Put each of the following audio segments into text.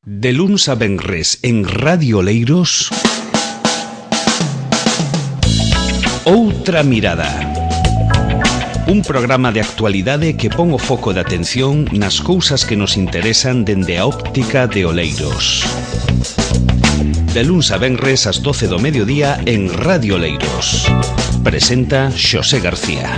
De luns a venres en Radio Oleiros, Outra Mirada. Un programa de actualidade que pon o foco de atención nas cousas que nos interesan dende a óptica de Oleiros. De luns a venres ás 12 do mediodía en Radio Oleiros. Presenta Xosé García.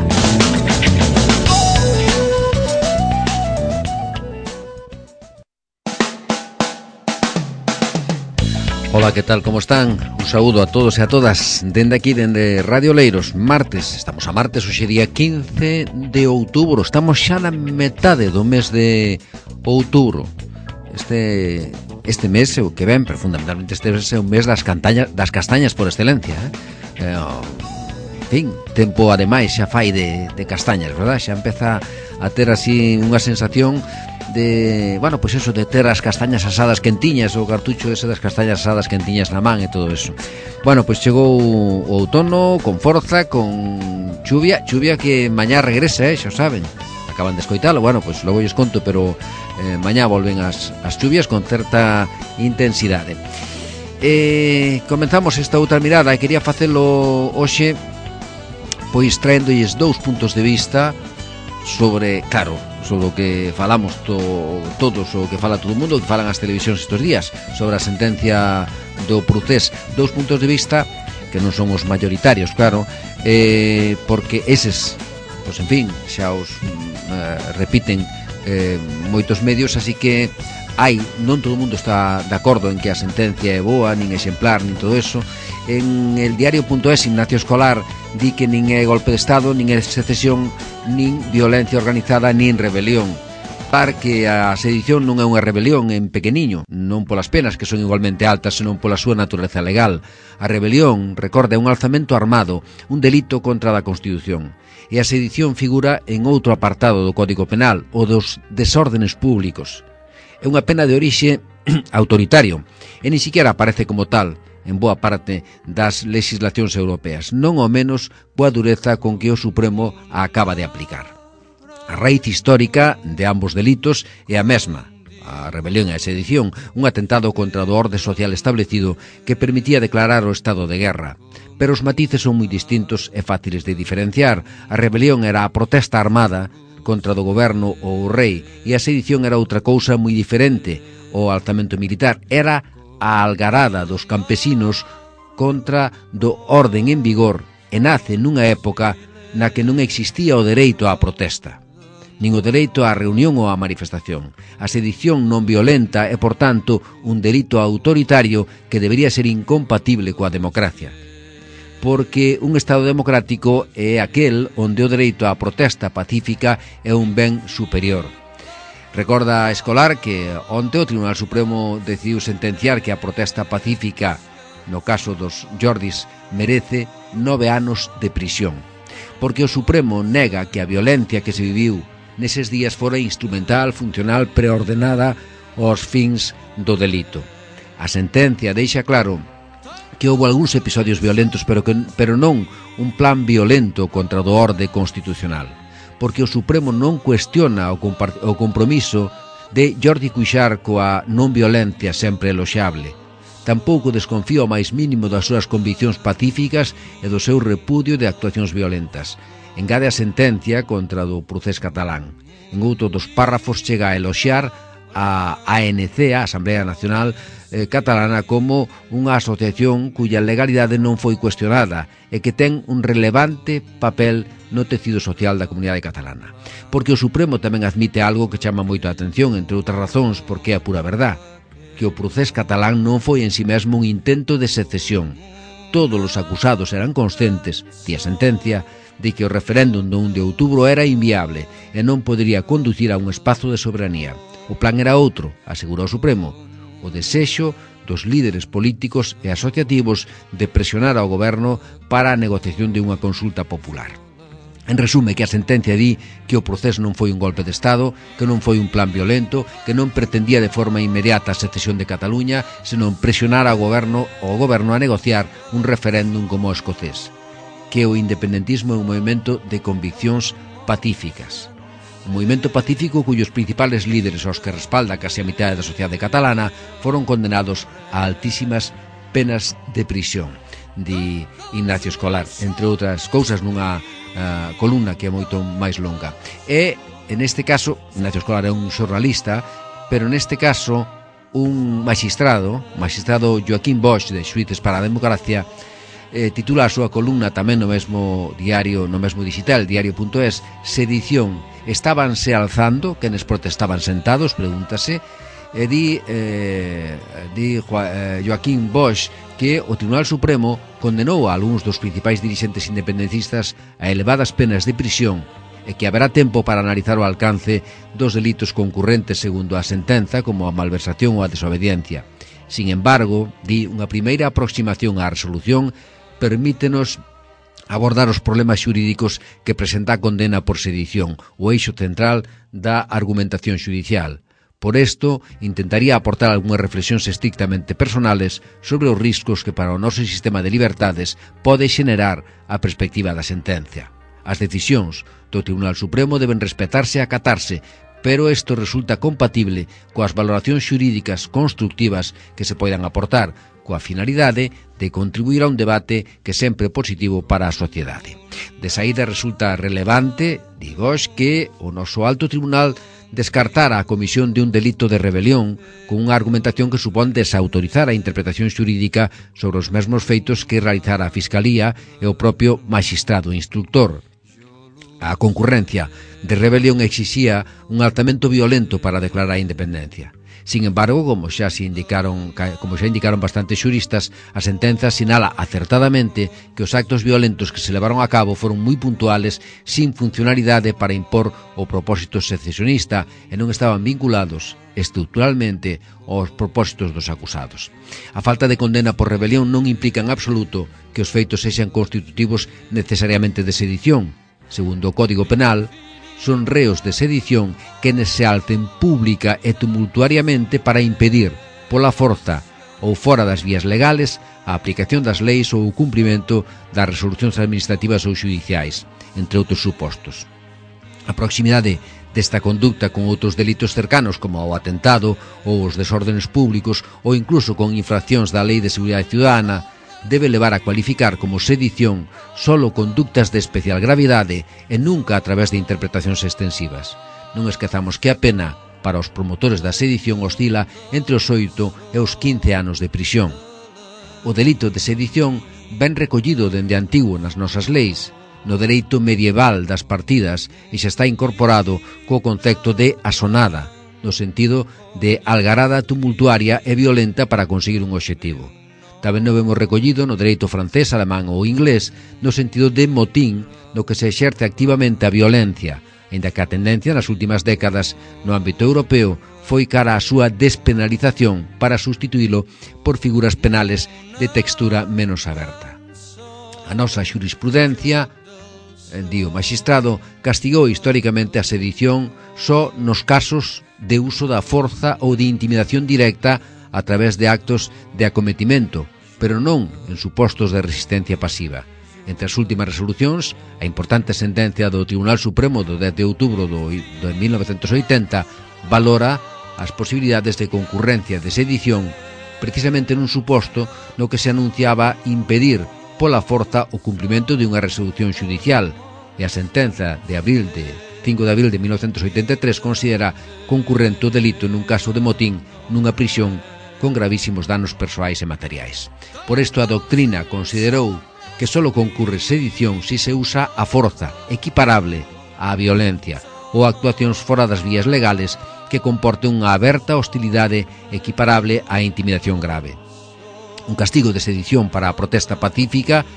Ola, que tal, como están? Un saúdo a todos e a todas dende aquí, dende Radio Oleiros. Martes, estamos a martes, hoxe día 15 de outubro. Estamos xa na metade do mes de outubro. Este mes, o que ven, pero fundamentalmente este mes é o mes das castañas por excelencia, En fin, tempo ademais xa fai de castañas, verdad? Xa empeza a ter así unha sensación de, bueno, pois eso, de ter as castañas asadas quentiñas, o cartucho ese das castañas asadas quentiñas na man e todo eso. Bueno, pois chegou o outono con forza, con chuvia que mañá regresa, xa saben. Acaban de escoitalo, bueno, pois logo lles conto, pero mañá volven as chuvias con certa intensidade. Comenzamos esta outra mirada e quería facelo hoxe pois traéndolles dous puntos de vista sobre, claro, sobre o que falamos todos, o que fala todo o mundo, o que falan as televisións estes días, sobre a sentencia do Procés. Dous puntos de vista que non son os mayoritarios, claro, porque eses, pois en fin, xa os repiten moitos medios, así que non todo o mundo está de acordo en que a sentencia é boa, nin exemplar, nin todo eso. En el diario.es, Ignacio Escolar di que nin é golpe de Estado, nin é secesión, nin violencia organizada, nin rebelión. Par que a sedición non é unha rebelión en pequeniño, non polas penas que son igualmente altas, senón pola súa natureza legal. A rebelión, recorda, é un alzamento armado, un delito contra a Constitución. E a sedición figura en outro apartado do Código Penal, o dos desórdenes públicos. É unha pena de orixe autoritario, e ni siquiera aparece como tal en boa parte das legislacións europeas, non ao menos coa dureza con que o Supremo a acaba de aplicar. A raíz histórica de ambos delitos é a mesma, a rebelión e a sedición, un atentado contra o orde social establecido que permitía declarar o estado de guerra. Pero os matices son moi distintos e fáciles de diferenciar. A rebelión era a protesta armada contra do goberno ou o rei, e a sedición era outra cousa moi diferente. O alzamento militar era a algarada dos campesinos contra do orden en vigor, e nace nunha época na que non existía o dereito á protesta, nin o dereito á reunión ou á manifestación. A sedición non violenta é, por tanto, un delito autoritario que debería ser incompatible coa democracia, porque un Estado democrático é aquel onde o dereito á protesta pacífica é un ben superior. Recorda a Escolar que onte o Tribunal Supremo decidiu sentenciar que a protesta pacífica, no caso dos Jordis, merece 9 anos de prisión, porque o Supremo nega que a violencia que se viviu neses días fora instrumental, funcional, preordenada aos fins do delito. A sentencia deixa claro que houve algúns episodios violentos, pero non un plan violento contra o orde constitucional, porque o Supremo non cuestiona o compromiso de Jordi Cuixart coa non violencia sempre eloxable. Tampouco desconfía o máis mínimo das súas conviccións pacíficas e do seu repudio de actuacións violentas. Engade a sentencia contra do Procés catalán. En outro dos párrafos chega a eloxar a ANC, a Asamblea Nacional Catalana, como unha asociación cuya legalidade non foi cuestionada e que ten un relevante papel no tecido social da comunidade catalana. Porque o Supremo tamén admite algo que chama moito a atención, entre outras razóns, porque é a pura verdad, que o Procés catalán non foi en si mesmo un intento de secesión. Todos os acusados eran conscientes, di a sentencia, de que o referéndum do 1 de outubro era inviable e non podería conducir a un espazo de soberanía. O plan era outro, asegurou o Supremo, o desexo dos líderes políticos e asociativos de presionar ao goberno para a negociación de unha consulta popular. En resume, que a sentencia di que o Procés non foi un golpe de Estado, que non foi un plan violento, que non pretendía de forma inmediata a secesión de Cataluña, senón presionar ao goberno a negociar un referéndum como o escocés, que o independentismo é un movimento de conviccións pacíficas. un movimento pacífico cuyos principales líderes, os que respalda case a mitad da sociedade catalana, foron condenados a altísimas penas de prisión, di Ignacio Escolar, entre outras cousas nunha columna que é moito máis longa. E, en este caso, Ignacio Escolar é un xornalista, pero neste caso un magistrado Joaquín Bosch, de Xuíces para a Democracia, titula a súa columna tamén no mesmo diario, no mesmo digital, diario.es, Sedición, estábanse alzando, quenes protestaban sentados, pregúntase, e di Joaquín Bosch que o Tribunal Supremo condenou a algúns dos principais dirixentes independencistas a elevadas penas de prisión e que haberá tempo para analizar o alcance dos delitos concurrentes segundo a sentenza, como a malversación ou a desobediencia. Sin embargo, di, unha primeira aproximación á resolución permítenos abordar os problemas xurídicos que presenta a condena por sedición, o eixo central da argumentación xudicial. Por isto, intentaría aportar algunhas reflexións estrictamente personales sobre os riscos que para o noso sistema de libertades pode xenerar a perspectiva da sentencia. As decisións do Tribunal Supremo deben respetarse e acatarse, pero isto resulta compatible coas valoracións xurídicas constructivas que se poidan aportar, coa finalidade de contribuir a un debate que sempre é positivo para a sociedade. De saída resulta relevante, digos, que o noso alto tribunal descartara a comisión de un delito de rebelión con unha argumentación que supón desautorizar a interpretación xurídica sobre os mesmos feitos que realizara a Fiscalía e o propio magistrado instructor. A concurrencia de rebelión exixía un alzamento violento para declarar a independencia. Sin embargo, como xa indicaron bastantes xuristas, a sentenza sinala acertadamente que os actos violentos que se levaron a cabo foron moi puntuales, sin funcionalidade para impor o propósito secesionista e non estaban vinculados estructuralmente aos propósitos dos acusados. A falta de condena por rebelión non implica en absoluto que os feitos sexan constitutivos necesariamente de sedición. Segundo o Código Penal, son reos de sedición quenes se alcen pública e tumultuariamente para impedir, pola forza ou fora das vías legales, a aplicación das leis ou o cumprimento das resolucións administrativas ou xudiciais, entre outros supostos. A proximidade desta conducta con outros delitos cercanos como o atentado ou os desórdenes públicos ou incluso con infraccións da Lei de Seguridade Ciudadana debe levar a cualificar como sedición solo conductas de especial gravidade e nunca a través de interpretacións extensivas. Non esquezamos que a pena para os promotores da sedición oscila entre os 8 e os 15 anos de prisión. O delito de sedición ben recollido dende antigo nas nosas leis, no dereito medieval das partidas e xa está incorporado co concepto de asonada, no sentido de algarada tumultuaria e violenta para conseguir un obxectivo. Tamén o vemos recollido no dereito francés, alemán ou inglés, no sentido de motín, no que se exerce activamente a violencia, aínda que a tendencia nas últimas décadas no ámbito europeo foi cara á súa despenalización para sustituílo por figuras penales de textura menos aberta. A nosa xurisprudencia, di o magistrado, castigou históricamente a sedición só nos casos de uso da forza ou de intimidación directa a través de actos de acometimento, pero non en supostos de resistencia pasiva. Entre as últimas resolucións, a importante sentencia do Tribunal Supremo do 10 de outubro de 1980 valora as posibilidades de concurrencia de sedición precisamente nun suposto no que se anunciaba impedir pola forza o cumprimento de unha resolución xudicial, e a sentenza de 5 de abril de 1983 considera concurrente o delito nun caso de motín nunha prisión con gravísimos danos persoais e materiais. Por isto a doctrina considerou que só concurre sedición se se usa a forza equiparable á violencia ou actuacións fora das vías legales que comporte unha aberta hostilidade equiparable á intimidación grave. Un castigo de sedición para a protesta pacífica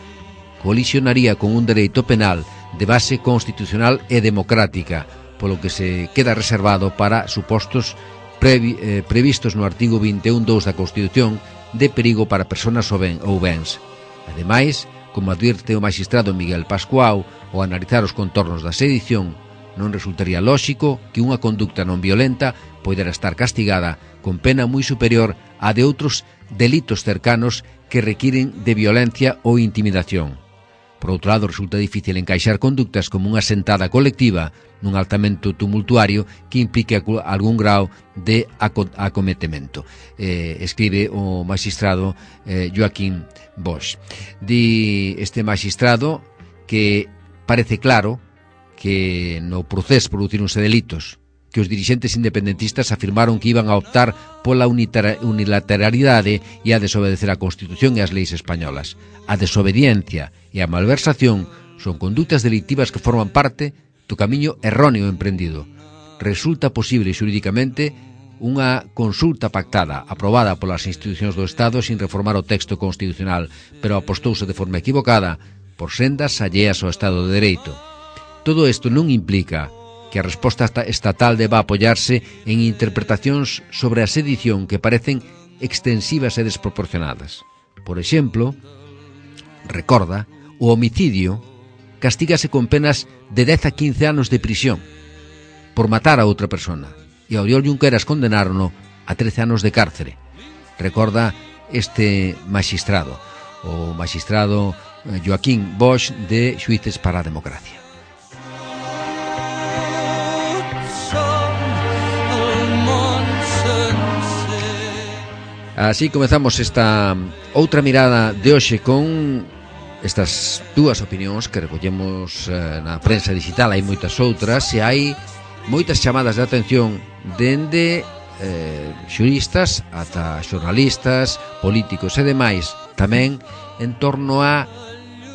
colisionaría con un dereito penal de base constitucional e democrática, polo que se queda reservado para supostos previstos no artigo 21.2 da Constitución de perigo para persoas ou bens. Ademais, como advirte o magistrado Miguel Pascual, ao analizar os contornos da sedición, non resultaría lóxico que unha conducta non violenta poidera estar castigada con pena moi superior á de outros delitos cercanos que requiren de violencia ou intimidación. Por outro lado, resulta difícil encaixar conductas como unha sentada colectiva nun altamento tumultuario que implique algún grau de acometemento. Escribe o magistrado Joaquín Bosch. Di este magistrado que parece claro que no proceso producíronse delitos, que os dirixentes independentistas afirmaron que iban a optar pola unilateralidade e a desobedecer a Constitución e as leis españolas. A desobediencia e a malversación son conductas delictivas que forman parte do camiño erróneo emprendido. Resulta posible xurídicamente unha consulta pactada, aprobada polas institucións do Estado sin reformar o texto constitucional, pero apostouse de forma equivocada por sendas alleas ao Estado de Dereito. Todo isto non implica que a resposta estatal deba apoiarse en interpretacións sobre a sedición que parecen extensivas e desproporcionadas. Por exemplo, recorda, o homicidio castígase con penas de 10 a 15 anos de prisión por matar a outra persona, e a Oriol Junqueras condenárono a 13 anos de cárcere. Recorda este magistrado, o magistrado Joaquín Bosch de Xuíces para a Democracia. Así comezamos esta outra mirada de hoxe con estas dúas opinións que recollemos na prensa digital. Hai moitas outras e hai moitas chamadas de atención dende xuristas ata xornalistas, políticos e demais, tamén en torno a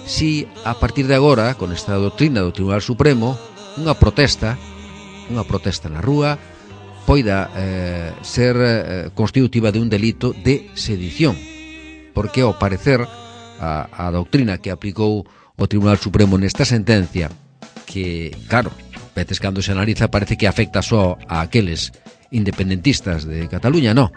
si a partir de agora, con esta doutrina do Tribunal Supremo, unha protesta na rúa poida ser constitutiva de un delito de sedición, porque ao parecer a doutrina que aplicou o Tribunal Supremo nesta sentencia, que claro, veces cando se analiza parece que afecta só a aqueles independentistas de Cataluña, no,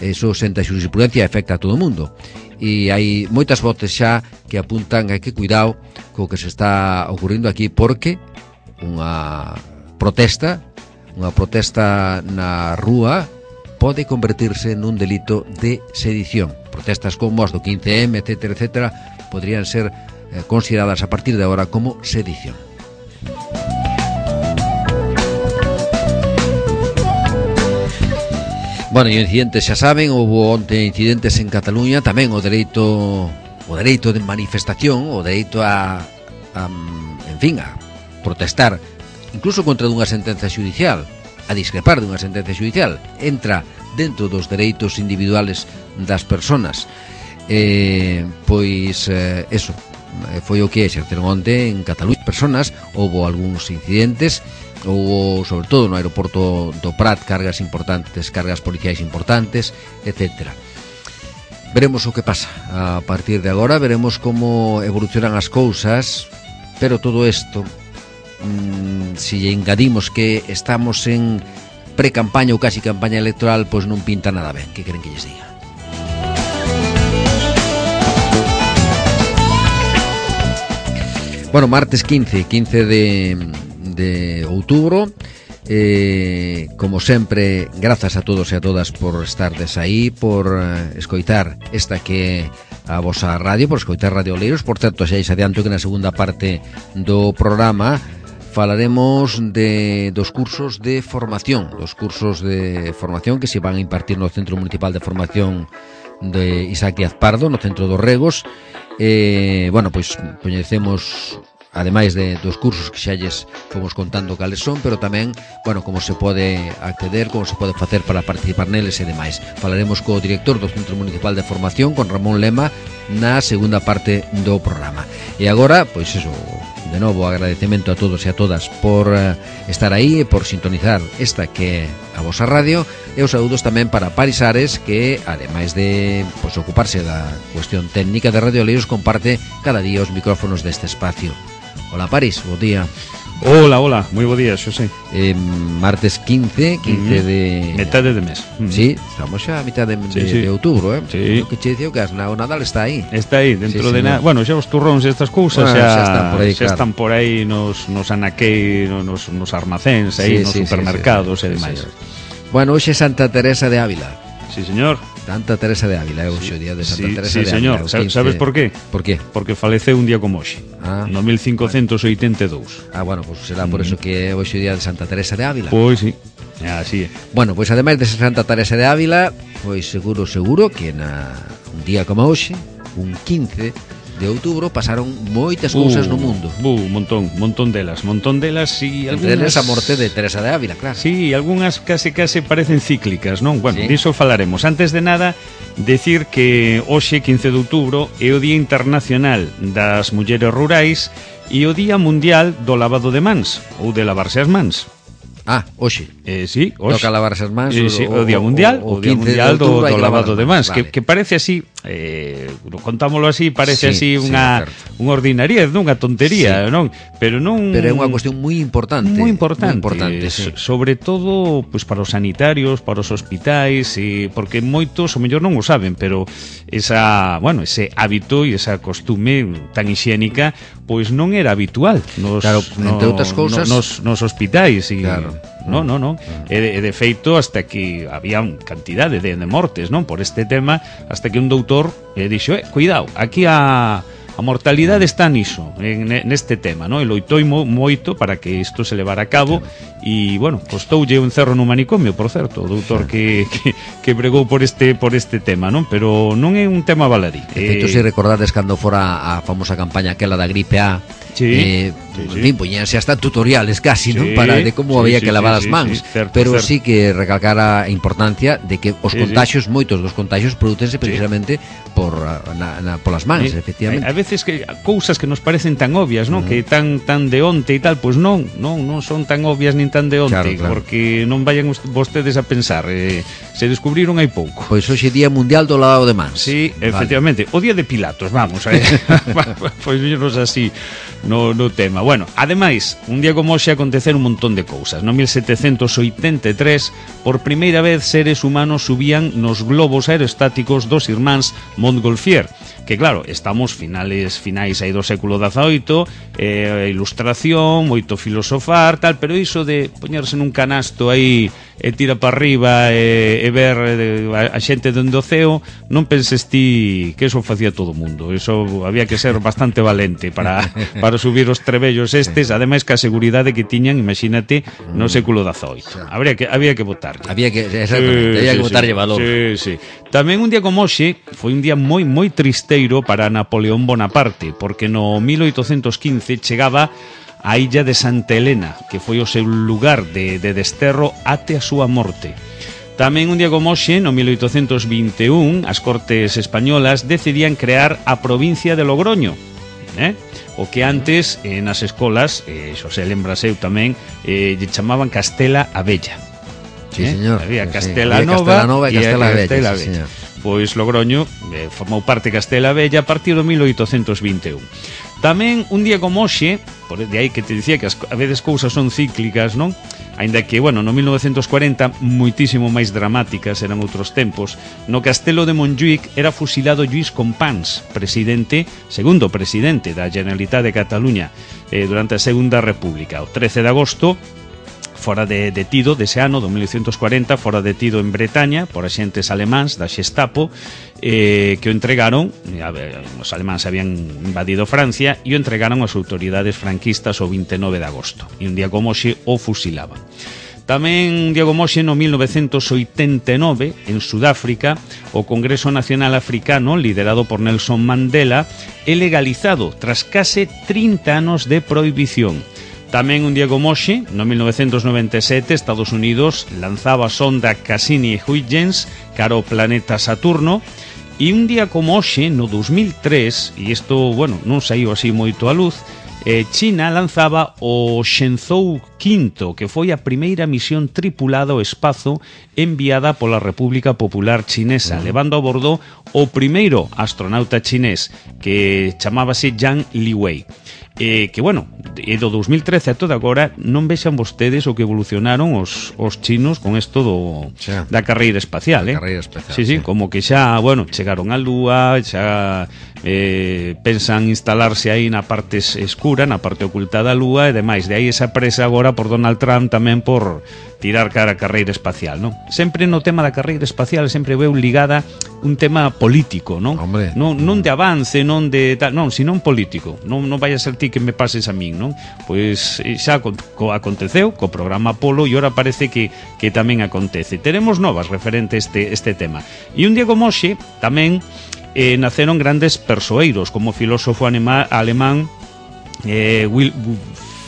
eso senta xurisprudencia e afecta a todo o mundo, e hai moitas voces xa que apuntan a que cuidado co que se está ocurrindo aquí, porque unha protesta na rúa pode convertirse nun delito de sedición. Protestas como as do 15M, etcétera, etcétera, podrían ser consideradas a partir de agora como sedición. Bueno, e incidentes xa saben, houve onte incidentes en Cataluña, tamén o dereito de manifestación, o dereito a protestar incluso contra dunha sentenza xudicial, a discrepar dunha sentenza xudicial, entra dentro dos dereitos individuales das persoas. Eso foi o que exerceron onte en Cataluña. Personas, houve algúns incidentes, houve, sobre todo no aeroporto do Prat, cargas policiais importantes, etcétera. Veremos o que pasa a partir de agora, veremos como evolucionan as cousas, pero todo isto, si engadimos que estamos en pre-campaña ou casi campaña electoral, pois non pinta nada ben. Que queren que lles diga? Bueno, martes 15 de outubro, como sempre, grazas a todos e a todas por estardes aí, por escoitar esta que a vosa radio, por escoitar Radio Oleiros. Por certo, xa adianto que na segunda parte do programa falaremos dos cursos de formación, que se van a impartir no Centro Municipal de Formación de Isaac Díaz Pardo, no Centro dos Regos. Pois coñecemos, ademais dos cursos que xa lles fomos contando cales son, pero tamén, como se pode acceder, como se pode facer para participar neles e demais. Falaremos co director do Centro Municipal de Formación, con Ramón Lema, na segunda parte do programa. E agora, pois eso, de novo agradecemento a todos e a todas por estar aí e por sintonizar esta que é a vosa radio, e os saúdos tamén para Paris Ares, que ademais de ocuparse da cuestión técnica de Radio Oleiros, comparte cada día os micrófonos deste espacio. Hola Paris, bo día. Hola, moi bo día, Xosé. Martes 15 de... metade de mes. Sí, estamos xa a mitad de outubro, Sí. O que che dicía que o Nadal está aí. Está aí, dentro de nada. Bueno, xa os turróns e estas cousas xa están por aí nos anaquei, nos armacéns, aí nos supermercados e demais. Bueno, hoxe é Santa Teresa de Ávila. Sí, señor. Santa Teresa de Ávila, hoxe o día de Santa Teresa de Ávila. Sí, señor, sabes por qué? Por qué? Porque faleceu un día como hoxe, no 1582. Bueno, pois será por eso que hoxe o día de Santa Teresa de Ávila. Pois sí, así é. Bueno, pois ademais de Santa Teresa de Ávila, pois seguro que un día como hoxe, un 15 de outubro, pasaron moitas cousas no mundo. Un montón delas e entre elas a morte de Teresa de Ávila, claro. Sí, algunhas case parecen cíclicas, non? Bueno, diso falaremos. Antes de nada, decir que hoxe, 15 de outubro, é o Día Internacional das Mulleres Rurais e o Día Mundial do Lavado de Mans, ou de lavarse as mans. Hoxe. Sí, hoxe. Toca lavarse as mans o Día Mundial, o Día Mundial do lavado de mans, vale. que parece así, contámoslo así, parece así unha ordinariedade, unha tontería, non? Pero é unha cuestión moi importante. Moi importante, sí. Sobre todo pois para os sanitarios, para os hospitais, porque moitos o mellor non o saben, pero ese hábito e esa costume tan hixiénica pois non era habitual entre outras cousas nos hospitais e claro. Non. E de feito, hasta que había cantidade de mortes, non? Por este tema, hasta que un doutor dixo, cuidado, aquí a mortalidade está niso, neste tema, non? E loitou moito para que isto se levara a cabo e, bueno, costoulle un cerro no manicomio, por certo, o doutor que bregou por este tema, non? Pero non é un tema baladí. De feito, se recordades cando fora a famosa campaña aquela da gripe A, poñíanse hasta tutoriales casi, non? Para de como había que lavar as mans, pero sí que recalcar a importancia de que os contagios, moitos dos contagios producense precisamente polas mans, efectivamente. A veces que cousas que nos parecen tan obvias, non? Que tan de onte e tal, pois non son tan obvias nin tan de onte, claro. Porque non vayan vostedes a pensar, se descubriron hai pouco. Pois hoxe Día Mundial do Lavado de Mans. Sí, efectivamente, o Día de Pilatos, vamos, pois non así no tema. Bueno, ademais, un día como hoxe aconteceron un montón de cousas. No 1783, por primeira vez seres humanos subían nos globos aerostáticos dos irmáns Montgolfier, que claro, estamos finais aí do século XVIII, ilustración, moito filosofar, tal, pero iso de poñerse nun canasto aí e tira para arriba e ver a xente dende o ceo, non penses ti que eso facía todo o mundo. Eso había que ser bastante valente para subir os trebellos estes, ademais que a seguridade que tiñan, imagínate, no século XVIII. Había que votarlle. Había que votarlle valor. Sí. Tamén un día como hoxe foi un día moi tristeiro para Napoleón Bonaparte, porque no 1815 chegaba a illa de Santa Helena, que foi o seu lugar de desterro até a súa morte. Tamén un día como hoxe, no 1821, as Cortes Españolas decidían crear a provincia de Logroño, o que antes nas escolas, Xosé lembrase eu tamén, lle chamaban Castela a Bella. Sí, señor. Había Castela Nova e Castela Bella. Pois Logroño formou parte de Castela a Bella a partir do 1821. Tamén un día como hoxe, por de aí que te dicía que a veces cousas son cíclicas, non? Aínda que, bueno, no 1940 moitísimo máis dramáticas, eran outros tempos. No Castelo de Montjuïc era fusilado Lluís Companys, segundo presidente da Generalitat de Cataluña durante a Segunda República. O 13 de agosto fora detido dese ano, do 1940, fora detido en Bretaña por axentes alemáns da Xestapo, que o entregaron, os alemáns habían invadido Francia, e o entregaron ás autoridades franquistas o 29 de agosto. E un día como hoxe o fusilaban. Tamén un día como hoxe, no 1989, en Sudáfrica, o Congreso Nacional Africano, liderado por Nelson Mandela, é legalizado tras case 30 anos de prohibición. Tamén un día como hoxe, no 1997, Estados Unidos lanzaba a sonda Cassini-Huygens cara ao planeta Saturno, e un día como hoxe, no 2003, e isto, bueno, non saiu así moito a luz, China lanzaba o Shenzhou V, que foi a primeira misión tripulada ao espazo enviada pola República Popular Chinesa, levando a bordo o primeiro astronauta chinés, que chamábase Yang Liwei. Que, bueno, do 2013 a toda agora non vexan vostedes o que evolucionaron os chinos con isto da carreira espacial, Carreira espacial, sí, como que xa, bueno, chegaron á Lúa, xa pensan instalarse aí na parte escura, na parte oculta da Lúa, e demais, de aí esa presa agora agora por Donald Trump tamén por tirar cara a carreira espacial, non? Sempre no tema da carreira espacial sempre veu ligada un tema político, non? Hombre. Non de avance, non de tal, non, sino un político. Non vai a ser ti que me pases a min, non? Pois xa aconteceu co programa Apolo e ora parece que tamén acontece. Teremos novas referente este tema. E un día como hoxe tamén naceron grandes persoeiros como o filósofo alemán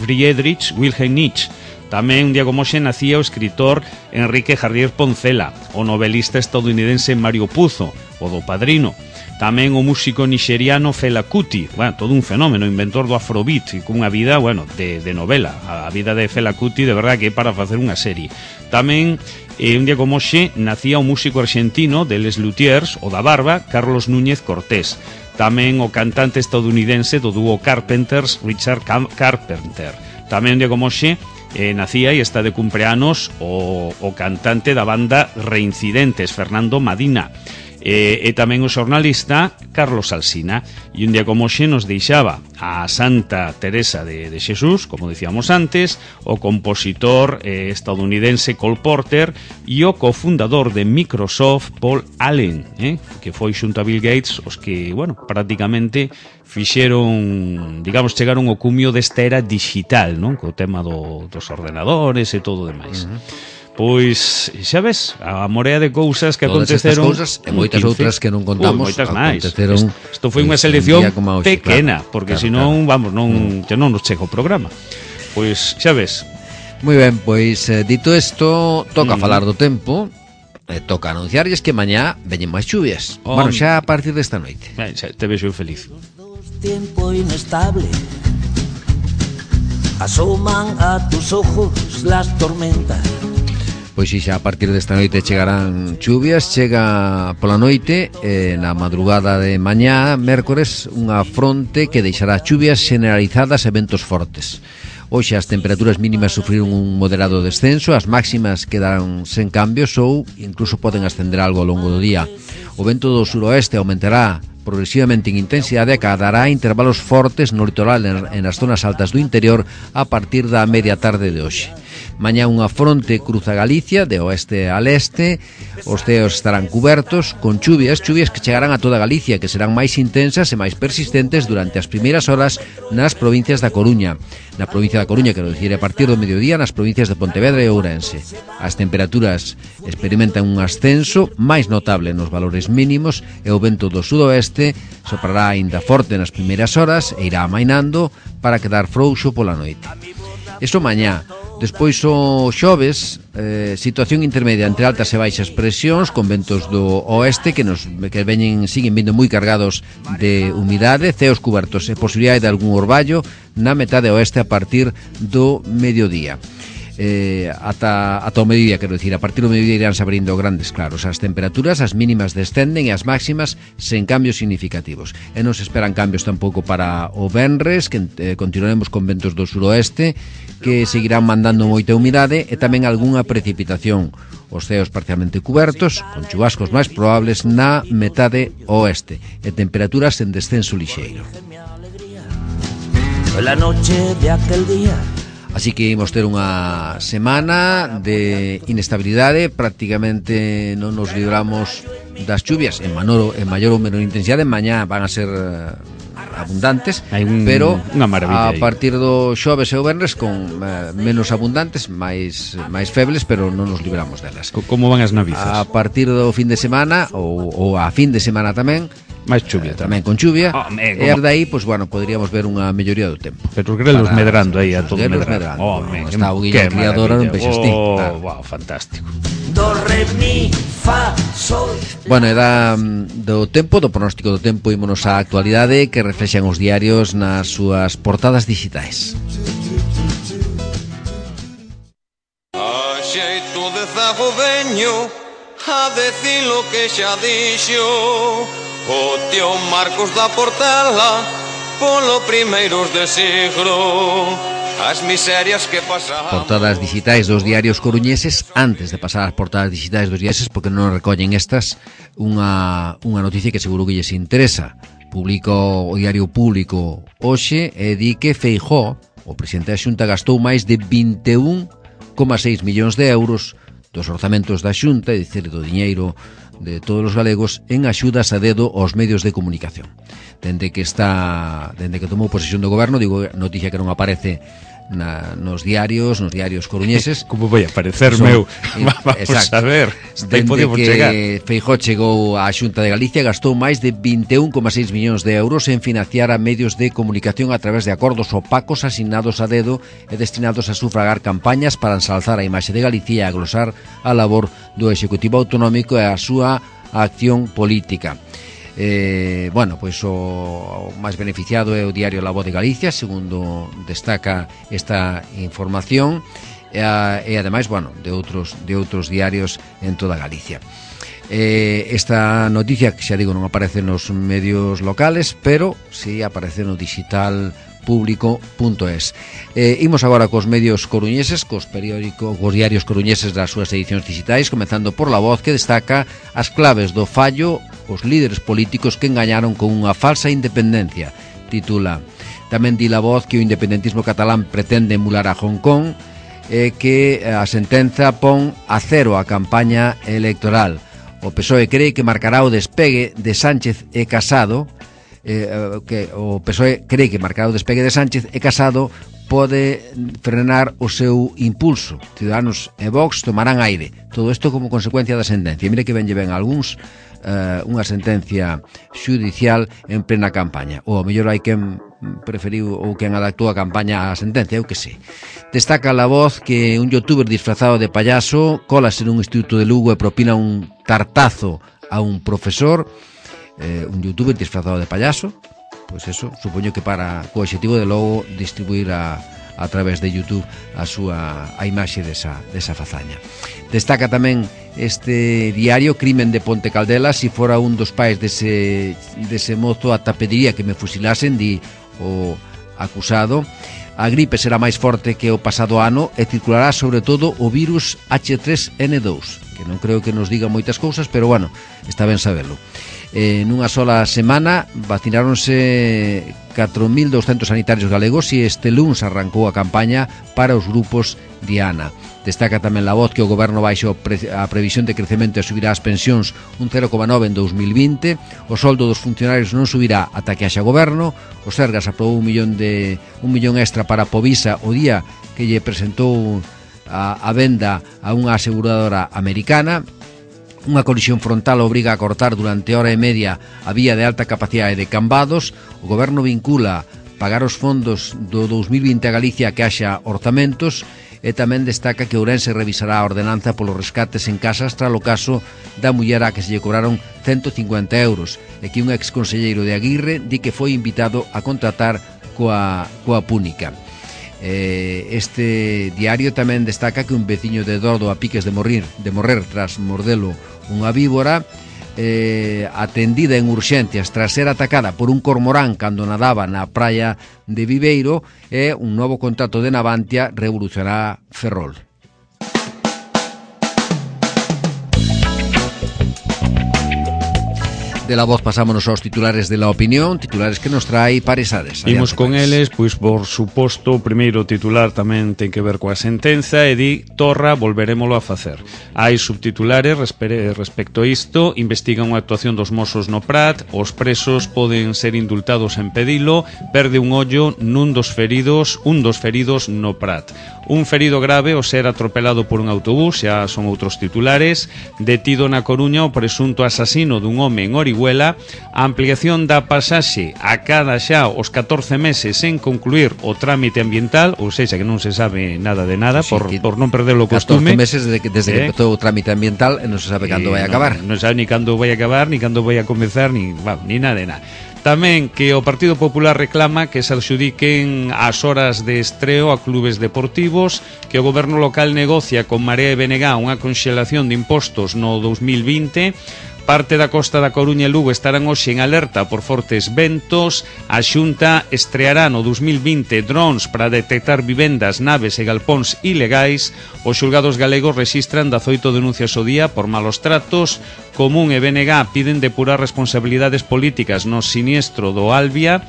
Friedrich Wilhelm Nietzsche. Tamén un día como hoxe nacía o escritor Enrique Jardier Poncela, o novelista estadounidense Mario Puzo, o do Padrino. Tamén o músico nixeriano Fela Kuti, todo un fenómeno, inventor do Afrobeat, e cunha vida, de novela. A vida de Fela Kuti, de verdad, que é para facer unha serie. Tamén, un día como hoxe, nacía o músico argentino de Les Luthiers, o da Barba, Carlos Núñez Cortés. Tamén o cantante estadounidense do dúo Carpenters, Richard Carpenter. Tamén un día como hoxe, nacía e está de cumpleanos o cantante da banda Reincidentes, Fernando Madina, e tamén o xornalista Carlos Alsina. E un día como hoxe nos deixaba a Santa Teresa de Xesús, como decíamos antes, o compositor estadounidense Cole Porter e o cofundador de Microsoft Paul Allen, que foi xunto a Bill Gates os que, prácticamente fixeron, digamos, chegaron ao cumio desta era digital, non? Co tema dos ordenadores e todo o demais. Pois, xa ves, a morea de cousas que aconteceron. Todas estas cousas e moitas outras que non contamos. Moitas máis. Isto foi unha selección pequena, porque senón, non nos chega o programa. Pois, xa ves. Moi ben, pois, dito isto, toca falar do tempo. Toca anunciarlles que mañá veñen máis chuvias. Xa a partir desta noite. Xa te vexo feliz. Tiempo inestable, asoman a tus ojos las tormentas. Pois xa a partir desta noite chegarán chuvias. Chega pola noite, na madrugada de mañá, mércores, unha fronte que deixará chuvias generalizadas e ventos fortes. Hoxe as temperaturas mínimas sufriron un moderado descenso, as máximas quedarán sen cambios ou incluso poden ascender algo ao longo do día. O vento do suroeste aumentará progresivamente en intensidade e acadará intervalos fortes no litoral e nas zonas altas do interior a partir da media tarde de hoxe. Mañá unha fronte cruza Galicia de oeste a leste. Os ceos estarán cubertos con chuvias que chegarán a toda Galicia, que serán máis intensas e máis persistentes durante as primeiras horas nas provincias da Coruña. Na provincia da Coruña, quero dicir, a partir do mediodía nas provincias de Pontevedra e Ourense. As temperaturas experimentan un ascenso máis notable nos valores mínimos e o vento do sudoeste soprará aínda forte nas primeiras horas e irá amainando para quedar frouxo pola noite. Iso mañá. Despois o xoves, situación intermedia entre altas e baixas presións con ventos do oeste que siguen vindo moi cargados de humidade, ceos cubertos e posibilidade de algún orballo na metade oeste a partir do mediodía. Ata o mediodía, quero dicir, a partir do mediodía irán se abrindo grandes claros. As temperaturas, as mínimas descenden e as máximas sen cambios significativos. E non se esperan cambios tampouco para o venres, que continuaremos con ventos do suroeste que seguirán mandando moita humidade e tamén algunha precipitación. Os ceos parcialmente cubertos, con chubascos máis probables na metade oeste e temperaturas en descenso lixeiro. La noche de aquel día. Así que imos ter unha semana de inestabilidade, prácticamente non nos libramos das chuvias en maior ou menor intensidade. Mañá van a ser abundantes, pero a partir do xoves e o venres con menos abundantes, máis febles, pero non nos libramos delas. Como van as navizas? A partir do fin de semana ou a fin de semana tamén máis chuvia tamén con chuvia, e aí, pois, poderíamos ver unha melloría do tempo. Pero os grelos medrando aí, a todo medrando. Está o guía criadora non vexes ti. Wow, fantástico. Do, re, mi, fa, sol. E do tempo, do pronóstico do tempo, ímonos á actualidade que reflexan os diarios nas súas portadas digitais. A xeito de zago veño a decir lo que xa dixo o tío Marcos da Portela polo primeiros de siglo. As miserias que pasaban. Portadas digitais dos diarios coruñeses. Antes de pasar ás portadas digitais dos diarios, porque non recollen estas, unha noticia que seguro que lles interesa. Publica o Diario Público hoxe e di que Feijóo o presidente da Xunta gastou máis de 21,6 millóns de euros dos orzamentos da Xunta, é dicir, do diñeiro de todos os galegos, en axudas a dedo aos medios de comunicación. Dende que tomou posesión do goberno, digo, noticia que non aparece nos diarios coruñeses. Como vai aparecer, meu? Vamos a ver, dende que Feijóo chegou á Xunta de Galicia, gastou máis de 21,6 millóns de euros en financiar a medios de comunicación a través de acordos opacos asignados a dedo e destinados a sufragar campañas para ensalzar a imaxe de Galicia e a glosar a labor do Executivo Autonómico e a súa acción política. Pois o máis beneficiado é o diario La Voz de Galicia, segundo destaca esta información, e ademais, de outros diarios en toda Galicia. Esta noticia, que xa digo, non aparece nos medios locales, pero si aparece no digital público.es. Imos agora cos medios coruñeses, cos diarios coruñeses das súas edicións digitais, comezando por La Voz, que destaca as claves do fallo os líderes políticos que engañaron con unha falsa independencia. Titula: tamén di La Voz que o independentismo catalán pretende emular a Hong Kong e que a sentenza pon a cero a campaña electoral. O PSOE cree que marcará o despegue de Sánchez e Casado. O PSOE cree que marcar o despegue de Sánchez e Casado pode frenar o seu impulso. Ciudadanos e Vox tomarán aire. Todo isto como consecuencia da sentencia. Mire que ven algúns unha sentencia xudicial en plena campaña. Ou ao mellor hai quen preferiu ou quen adaptou a campaña á sentencia, eu que sei. Destaca La Voz que un youtuber disfrazado de payaso colase nun instituto de Lugo e propina un tartazo a un profesor. Un youtuber disfrazado de payaso, pois eso, supoño que para co objetivo de logo distribuir a través de YouTube a imaxe desa fazaña. Destaca tamén este diario Crimen de Ponte Caldela: si fora un dos pais dese mozo ata pediría que me fusilasen, di o acusado. A gripe será máis forte que o pasado ano e circulará sobre todo o virus H3N2, que non creo que nos diga moitas cousas, pero está ben sabelo. Nunha sola semana vacinaronse 4.200 sanitarios galegos e este luns arrancou a campaña para os grupos Diana. Destaca tamén La Voz que o goberno baixa a previsión de crecemento e subirá as pensións un 0,9 en 2020. O soldo dos funcionarios non subirá ata que haxa goberno. O Sergas aprobou un millón extra para Povisa o día que lle presentou a venda a unha aseguradora americana. Unha colisión frontal obriga a cortar durante hora e media a vía de alta capacidade de Cambados. O goberno vincula pagar os fondos do 2020 a Galicia que haxa orzamentos, e tamén destaca que Ourense revisará a ordenanza polos rescates en casas tras o caso da muller a que se lle cobraron 150 euros e que un exconselleiro de Aguirre di que foi invitado a contratar coa púnica. Este diario tamén destaca que un veciño de Dordo a piques de morrer tras mordelo unha víbora, atendida en urxencias tras ser atacada por un cormorán cando nadaba na praia de Viveiro, e un novo contrato de Navantia revolucionará Ferrol. De La Voz pasámonos aos titulares de La Opinión, titulares que nos trae Paresades. Imos con eles, pois por suposto, o primeiro titular tamén ten que ver coa sentenza e di: Torra, volverémolo a facer. Hai subtitulares respecto a isto: investigan unha actuación dos Mossos no Prat, os presos poden ser indultados en pedilo, perde un ollo un dos feridos no Prat. Un ferido grave ao ser atropelado por un autobús, xa son outros titulares. Detido na Coruña o presunto asasino dun home en Orihuela. A ampliación da pasaxe a cada xa os 14 meses en concluir o trámite ambiental, ou seja, que non se sabe nada de nada, sí, por non perder o costume. 14 meses desde que empezou o trámite ambiental e non se sabe cando vai a acabar. Non se sabe ni cando vai a acabar, ni cando vai a comezar, ni nada de nada. Tamén que o Partido Popular reclama que se adxudiquen as horas de estreo a clubes deportivos, que o goberno local negocia con Marea e BNG unha conxelación de impostos no 2020. Parte da costa da Coruña e Lugo estarán hoxe en alerta por fortes ventos. A Xunta estreará no 2020 drons para detectar vivendas, naves e galpóns ilegais. Os xulgados galegos rexistran 18 denuncias ao día por malos tratos. Común e BNG piden depurar responsabilidades políticas no siniestro do Albia.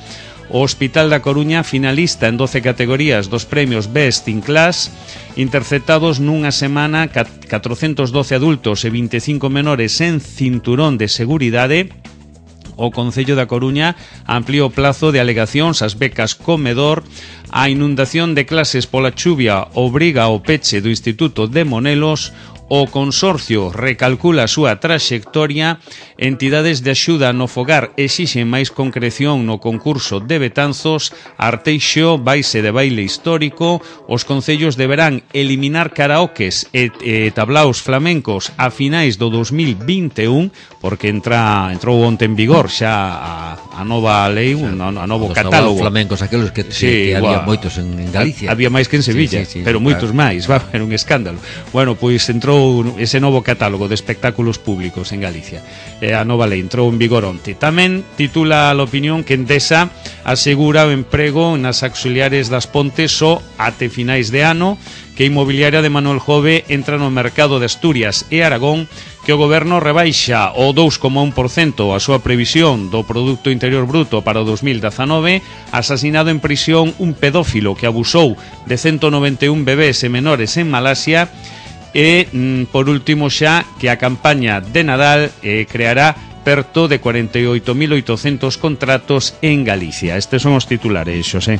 O Hospital da Coruña finalista en 12 categorías dos premios Best in Class, interceptados nunha semana 412 adultos e 25 menores en cinturón de seguridade. O Concello da Coruña ampliou o plazo de alegacións ás becas comedor. A inundación de clases pola chuvia obriga ao peche do Instituto de Monelos. O Consorcio recalcula a súa traxectoria. Entidades de axuda no fogar exixen máis concreción no concurso de Betanzos. Arteixo vaise de baile histórico. Os concellos deberán eliminar karaokes e tablaos flamencos a finais do 2021, porque entrou onte en vigor xa a nova lei, a novo catálogo. Os flamencos, aqueles que había moitos en Galicia. Había máis que en Sevilla, pero moitos máis, era un escándalo. Bueno, pois entrou ese novo catálogo de espectáculos públicos en Galicia. A nova lei entrou en vigor onte. Tamén titula a opinión que Endesa asegura o emprego nas auxiliares das Pontes só até finais de ano, que a inmobiliaria de Manuel Jove entra no mercado de Asturias e Aragón, que o goberno rebaixa o 2,1% a súa previsión do Produto Interior Bruto para o 2019, asasinado en prisión un pedófilo que abusou de 191 bebés e menores en Malasia. E, por último xa, que a campaña de Nadal creará perto de 48.800 contratos en Galicia. Estes son os titulares, Xosé.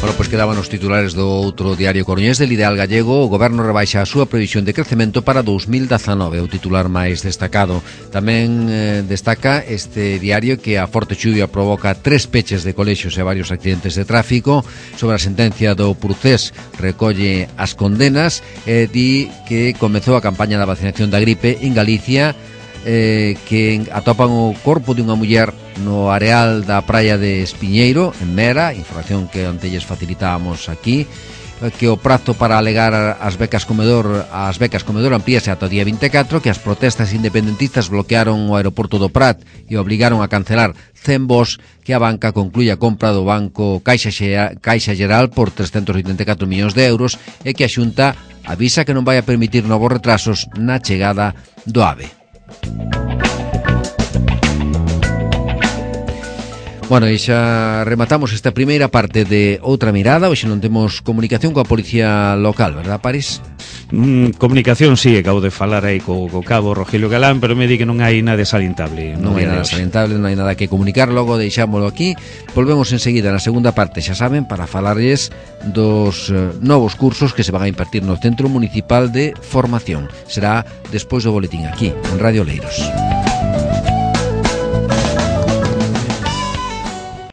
Bueno, pois quedaban os titulares do outro diario coruñés del Ideal Gallego. O goberno rebaixa a súa previsión de crecemento para 2019, o titular máis destacado. Tamén destaca este diario que a forte chuvia provoca 3 peches de colexios e varios accidentes de tráfico. Sobre a sentencia do Procés recolle as condenas e di que comezou a campaña da vacinación da gripe en Galicia, que atopan o corpo de unha muller no areal da praia de Espiñeiro, en Mera, información que onte lles facilitábamos aquí, que o prazo para alegar as becas comedor amplíase ata o día 24, que as protestas independentistas bloquearon o aeroporto do Prat e obligaron a cancelar 100 voos, que a banca conclúe a compra do banco Caixa Xeral por 384 millóns de euros e que a Xunta avisa que non vai a permitir novos retrasos na chegada do AVE. Bueno, e xa rematamos esta primeira parte de Outra Mirada. Hoxe non temos comunicación coa policía local, verdad, París? Comunicación, sí, acabo de falar aí co cabo Rogelio Galán, pero me di que non hai nada salientable. Non hai nada salientable, non hai nada que comunicar. Logo deixámoslo aquí. Volvemos enseguida na segunda parte, xa saben, para falarles dos novos cursos que se van a impartir no Centro Municipal de Formación. Será despois do boletín aquí, en Radio Oleiros.